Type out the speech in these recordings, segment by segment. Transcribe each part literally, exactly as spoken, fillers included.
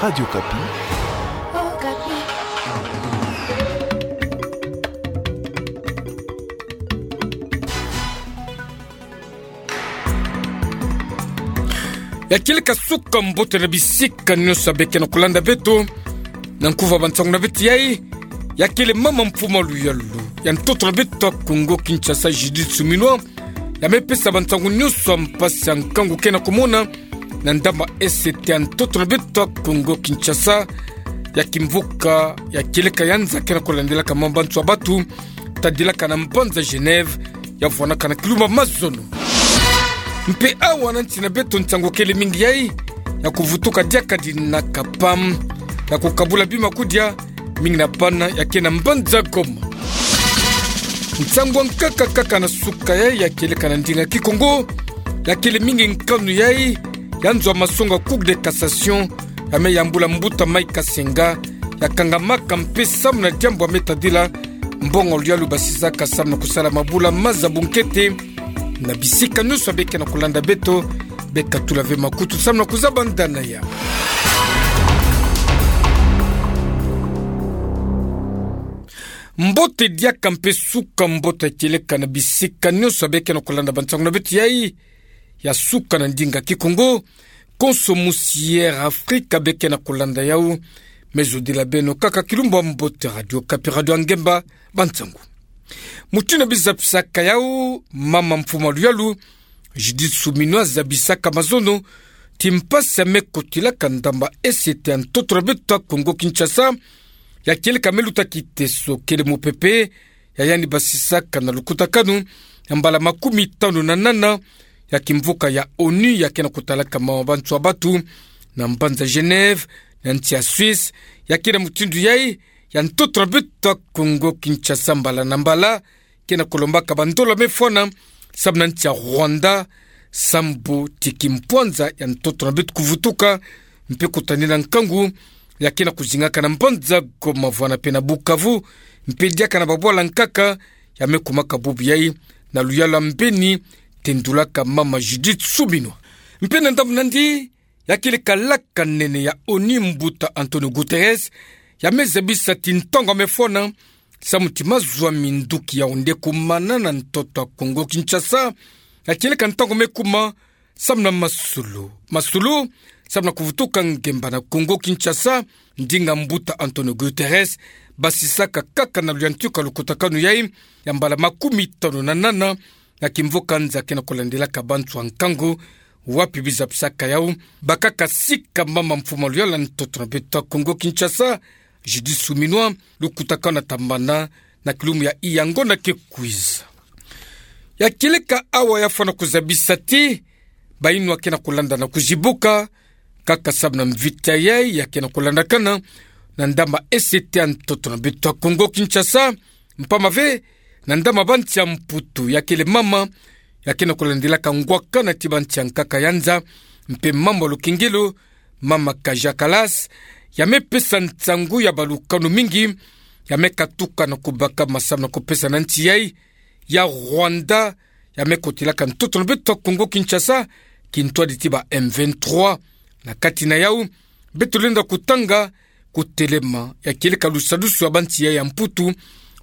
Radio Okapi. Ya kieleka suka mbote na bisika nyonso ya beke na kolanda beto. Na nkuva bansangu na beto yai, ya kele mama mfuma luyalu ya ntoto na beto ya Kongo Kinshasa, Judith Suminwa, ya me pesa bansangu nyonso ya mpasi ya nkangu ke na komona na ndambu ya S T ya ntoto na beto ya Kongo Kinshasa, ya kimvuka ya kieleka ya nza ke na kolandelaka mama bansoni ya bato, tadilaka na mbanza Genève, ya vwanaka na kilumbu ya mazono. Mpe awa na nsi na beto nsangu kele mingi yai, ya kuvutuka diaka dina ka pam, ya kukabula bima kudia, mingi na bana ya ke na mbanza Goma. Nsangu ya nkaka kaka na suka yai, ya kieleka na ndinga Kikongo, ya kele mingi nkanu yai, ya nzo ya masonga Cour de cassation, ya me yambula mbuta Mike Kasenga, ya kangamaka mpe samu na diambu ya me tadila mbongo luyalu basisaka samu na kusala mabula maza bunkete, na bisika nyonso ya beke na kolanda beto, be katula ve makutu samu na kuzaba ndana ya. Mbote diaka mpe suka mbote ya kieleka na bisika nyonso ya beke na kolanda bansangu na beto yai, ya suka na ndinga Kikongo, konso musi Air Afrique beke na kolanda yau, me zodila beno kaka kilumbu ya mbote. Radio Okapi, radio ya ngemba, bansangu. Mutindu bizapisaka yau, mama mfuma luyalu, Judith Suminwa zabisaka mazono, ti mpasi ya me kotilaka ndambu ya S T ya ntoto na beto ya Kongo Kinshasa, ya kieleka me luta kiteso kele mupepe, ya yandi basisaka na lukutakanu ya mbala makumi tanu na nana ya kimvuka ya ONU ya ke na kutalaka mama bansoni ya bato, na mbanza Genève, na nsi ya Suisse, ya ke na mutindu yai, ya ntoto na beto ya Kongo Kinshasa mbala na mbala, ke na kulombaka bandola me fwana, samu na nsi ya Rwanda, sambu ti kimpwanza ya ntoto na beto kuvutuka, mpe kutanina nkangu, ya ke na kuzingaka na mbanza Goma vwana mpe na Bukavu, mpe diaka na babwala nkaka, ya me kumaka bubu yai, na luyalu ya mbeni, tendulaka mama Judith Suminwa. Mpe na ndambu nandi, ya kieleka laka nene ya ONU mbuta Antonio Guterres, ya me zabisa ti ntangu ya me fwana, samu ti mazwa minduki ya onde kumana na ntoto ya Kongo Kinshasa, ya kieleka ntangu me kuma, samu na masulu. Masulu, samu na kuvutuka ngemba na Kongo Kinshasa, ndinga mbuta Antonio Guterres basisaka kaka na luyantika lukutakanu yai, ya mbala makumi tanu na nana, ya kimvuka nza ke na kulandelaka bansoni ya nkangu, wapi bizapisaka yau, bakaka sika mama mfuma luyalu ya ntoto na beto ya Kongo Kinshasa, Judith Suminwa, lukutakanu na tambana, na kilumbu ya iyango na ke kwiza. Ya kieleka awa ya fwana kuzabisa ti, bayinwa ke na kulanda na kuzibuka, kaka samu na mvita yai ya ke na kulandakana, na ndambu ya S T ya ntoto na beto ya Kongo Kinshasa, mpamba ve, na ndambu ya bansi ya Mputu ya kele mama, ya ke na kulandelaka ngwakana ti bansi ya nkaka ya nza, mpe mambu ya lukengelo, mama Kaja Kallas, ya me pesa nsangu ya balukanu mingi, ya me katuka na kubaka masamu na kupesa na nsi yai, ya Rwanda, ya me kotilaka ntoto na beto ya Kongo Kinshasa, kintwadi ti ba M vingt-trois. Na kati na yau, beto lenda kutanga, kutelema, ya kieleka lusadusu ya bansi yai ya Mputu,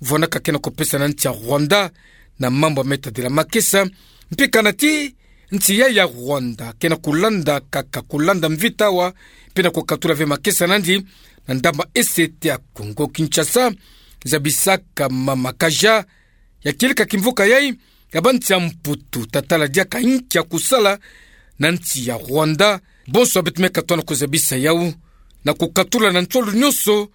vwanaka ke na kupesa na nsi ya Rwanda, na mambu ya me tadila makesa, mpe kana ti, nsi yai ya Rwanda, ke na kulanda kaka kulanda mvita awa, mpe na kukatula ve makesa nandi, na ndambu ya S T ya Kongo Kinshasa, zabisaka mama Kaja, ya kieleka kimvuka yai, ya bansi ya Mputu, tatala diaka inki ya kusala, na nsi ya Rwanda, bonso beto me katoa na kuzabisa yau, na kukatula na nsolo nyonso,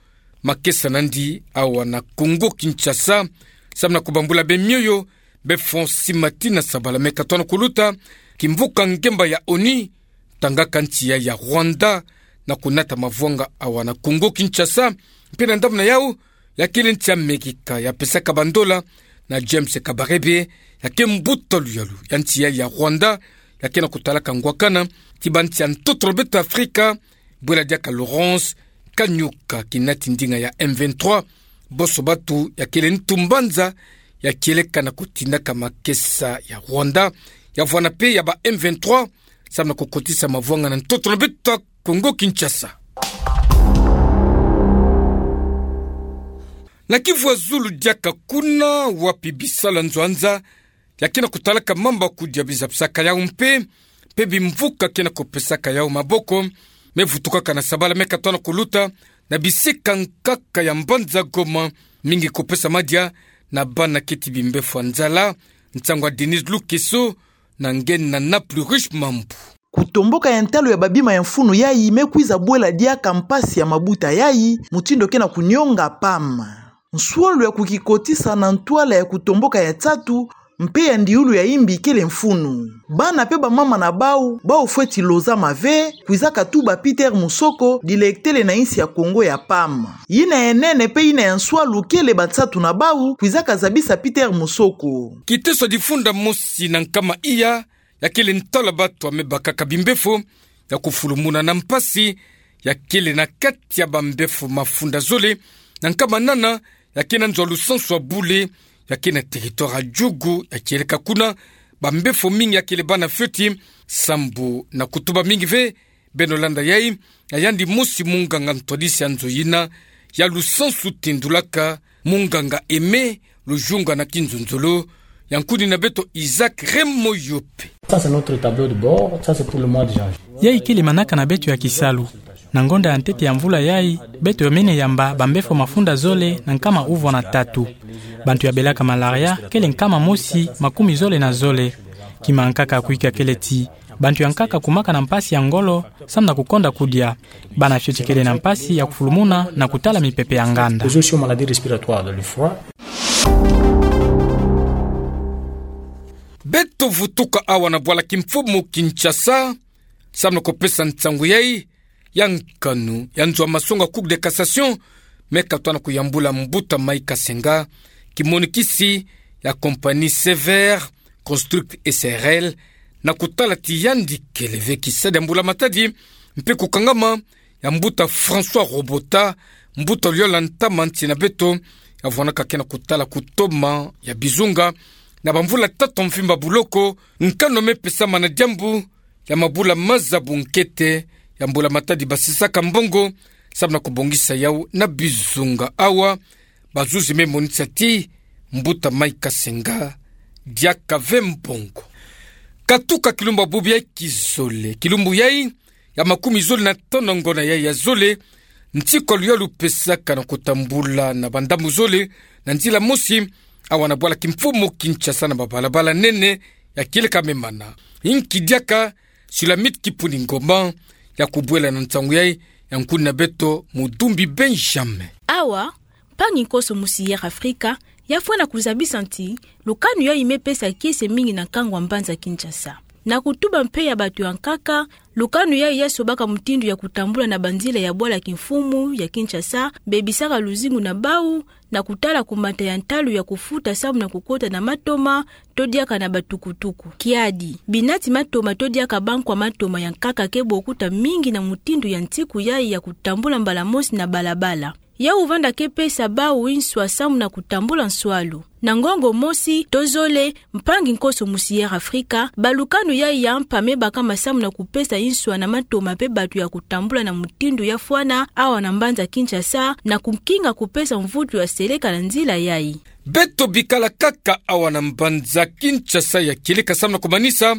makesa nandi awa na Kongo Kinshasa, samu na kubambula be mioyo, be Francis Matina Sabala me katoa na kuluta, kimvuka ngemba ya ONU, tangaka nsi yai ya Rwanda, na kunata mavwanga awa na Kongo Kinshasa, mpe na ndambu na yau, ya kele nsi ya Amerika, ya pesaka bandola, na James Kabarebe, ya ke mbuta luyalu, ya nsi yai ya Rwanda, ya ke na kutalaka ngwakana, ti bansi ya ntoto na beto Afrika, bwela diaka Laurence Kanyuka kinati ndinga ya M vingt-trois, bonso bato ya kele ntu mbanza, ya kieleka na kutindaka makesa ya Rwanda, ya vwana mpe ya ba M vingt-trois, samu na kukotisa mavwanga na ntoto na beto Kongo Kinshasa. Na Kivu ya Zulu diaka kuna wapi bisalu ya nzo ya nza ya ke na kutalaka mamba kudia bizabisaka yau mpe, mpe bimvuka ke na kupesaka yau maboko, me vutukaka na sabala me katona kuluta na bisika nkaka ya mbanza Goma, mingi kupesa madia na bana keti bimbefu ya nzala. Nsangu ya Denise Lukeso, na nge na Naples Riche Mambu. Kutomboka ya ntalu ya babima ya mfunu yai me kwiza bwela diaka mpasi ya mabuta yai, mutindu ke na kunionga PAM. Nswalu ya kukikotisa na ntwala ya kutomboka ya nsatu mpe ya ndiulu ya imbi kele mfunu. Bana mpe bamama na bau, bau fweti lozama ve, kwizaka tuba Peter Musoko, dilektele na insi ya Kongo ya PAM. Yina ya nene mpe yina ya nswalu kele bansatu na bau, kwizaka zabisa Peter Musoko. Kiteso difunda mosi na nkama iya, ya kele ntalu ya batu ya me bakaka bimbefu ya kufulumuna na mpasi, ya kele na kati ya bambefu mafunda zole na nkama nana, ya ke na nzo ya lusansu ya bule, ya ke na territoire ya Djugu, ya kieleka kuna bambefu mingi ya kele bana fioti, sambu na kutuba mingi ve. Beno landa yai, ya yandi mosi munganga ntwadisi ya nzo yina ya lusansu tindulaka, munganga Aimé Lujunga na Kinzonzolo, ya nkuni na beto Isaac Remoyope. Ça, c'est notre tableau de bord. Ça, c'est pour le mois de janvier. Yai kele manaka na beto ya kisalu. Na ngonda ya ntete ya mvula yai, beto yomene yamba bambefu mafunda zole na nkama uvwa na tatu. Bantu ya belaka malaria kele nkama mosi makumi zole na zole. Kima ya nkaka ya kuika kele ti bantu ya nkaka kumaka na mpasi ya ngolo, samu na kukonda kudia. Bana fioti kele na mpasi ya kufulumuna na kutala mipepe ya nganda. Toujours sur maladie respiratoire, le froid. Beto vutuka awa na bwala kimfumu Kinshasa, samu na kupesa nsangu yai ya nkanu ya nzo ya masonga Cour de cassation, me katona kuyambula mbuta Mike Kasenga, kimonikisi ya compagnie Sévère Construct S R L, na kutala ti yandi kele ve kisadi ya mbula matadi, mpe kukangama ya mbuta François Robota, mbuta liola ntama nsi na beto, ya vwanaka ke na kutala kutoma ya bizunga na bamvula tatu mvimba buloko, nkanu me pesama na diambu ya mabula maza bunkete ya mbula matadi basisaka mbongo, samu na kubongisa yau na bizunga. Awa bazuzi me monisa ti mbuta Mike Kasenga diaka ve mbongo. Katuka kilumbu ya bubu yai kizole, kilumbu yai ya makumi zole na tanu ngona yai ya zole, ntikwalu ya lupesaka na kutambula na bandambu zole na nzila mosi, awa na bwala kimfumu Kinshasa na babalabala nene ya kieleka me mana. Inki diaka Sulamite Kipuni Ngoma ya kubwela na nsangu yai, ya nkuni na beto Mudumbi Benjamin. Awa, mpangi nkoso musi Air Africa ya fwena kuzabisa ti lukanu yai me pesa kiese mingi na nkangu ya mbanza Kinshasa. Na kutuba mpe ya batu ya nkaka, lukanu yai ya sobaka mutindu ya kutambula na banzila ya bwala kimfumu ya Kinshasa, bebisaka luzingu na bau, na kutala kumata ya ntalu ya kufuta samu na kukota na matoma, to diaka na batukutuku. Kiadi, bina ti matoma to diaka bankwa matoma ya nkaka ke bokuta mingi na mutindu ya nsiku yai ya kutambula mbala mosi na balabala. Yau vanda ke pesa bau inswa samu na kutambula nswalu. Na ngongo mosi to zole, mpangi nkoso musi Air Africa, balukanu yai ya mpa me bakama samu na kupesa inswa na matoma mpe batu ya kutambula na mutindu ya fwana awa na mbanza Kinshasa, na kukinga kupesa mvutu ya seleka na nzila yai. Beto bikala kaka awa na mbanza Kinshasa ya kieleka samu na kumanisa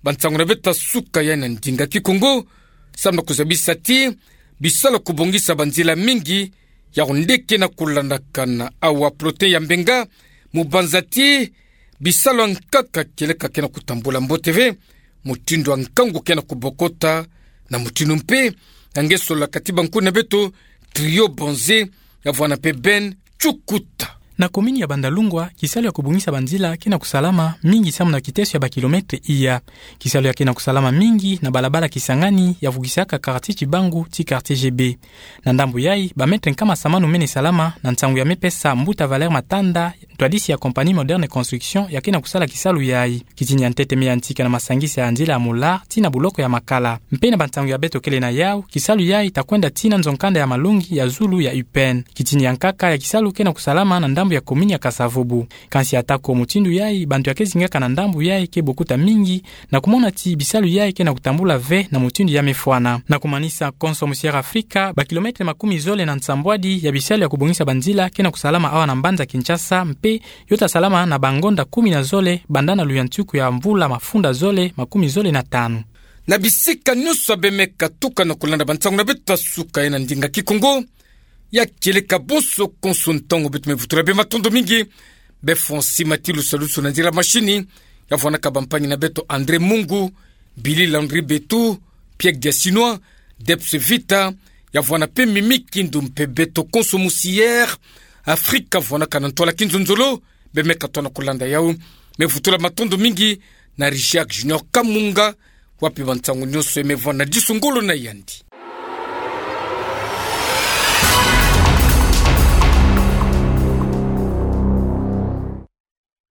bansangu na beto ya suka yai na ndinga Kikongo, samu na kuzabisa ti bisalu ya kubongisa banzila mingi yau nde ke na kulandakana awa. Plotin ya Mbenga mu banza ti bisalu ya nkaka kieleka ke na kutambula mbote ve, mutindu ya nkangu ke na kubokota, na mutindu mpe ya nge sololaka ti bankuni na beto Trio Bonze, ya vwana mpe Ben Chukuta. Na komini ya Bandalungwa, kisalu ya kubongisa banzila ke na kusalama mingi samu na kiteso ya bakilometre iya. Kisalu ya ke na kusalama mingi na balabala Kisangani ya vukisaka quartier Kibangu ti quartier G B. Na ndambu yai, bametre nkama samanu mene salama na nsangu ya me pesa mbuta Valère Matanda, ntwadisi ya compagnie Moderne Construction ya ke na kusala kisalu yai. Kitini ya ntete me yantika na masangisa ya nzila ya Moulart tii na buloko ya Makala. Mpe na bansangu ya beto kele na yau, kisalu yai ta kwenda tii na nzo-nkanda ya malongi ya zulu ya U P N. Kitini ya nkaka ya kisalu ke na kusalama na ndambu ndambu ya commune ya Kasa-Vubu. Kansi atako mutindu yayi, bantu ya ke zingaka na ndambu yayi ke bokuta mingi, na kumona ti bisalu yayi ke na kutambula ve na mutindu ya mefwana. Na kumanisa, Konso Musiere Afrika, ba kilomètre makumi zole na nsambwadi ya bisalu ya kubongisa banzila ke na kusalama awa na mbanza Kinshasa, mpe yo ta salama na bangonda kumi na zole, banda na luyantiku ya mvula mafunda zole makumi zole na tanu. Na bisika nyonso abe me katuka na kulanda bansangu na beto ya suka ya na ndinga Kikongo, ya kieleka bonso konso ntangu beto me vutula be matondo mingi. Be Francis Matilu Salusu na nzila mashini, ya vwanaka bampangi na beto André Mungu, Billy Landry Betu, Pierre Diasinois, Debs Vita, ya vwana mpe Mimi Kindu mpe beto Konso Musiere Afrika vwanaka na ntwala kinzonzolo, be me katoa na kulanda yawu. Me vutula matondo mingi na Richard Junior Kamunga, wapi bansangu nyonso ya me vwana disu ngolo na yandi.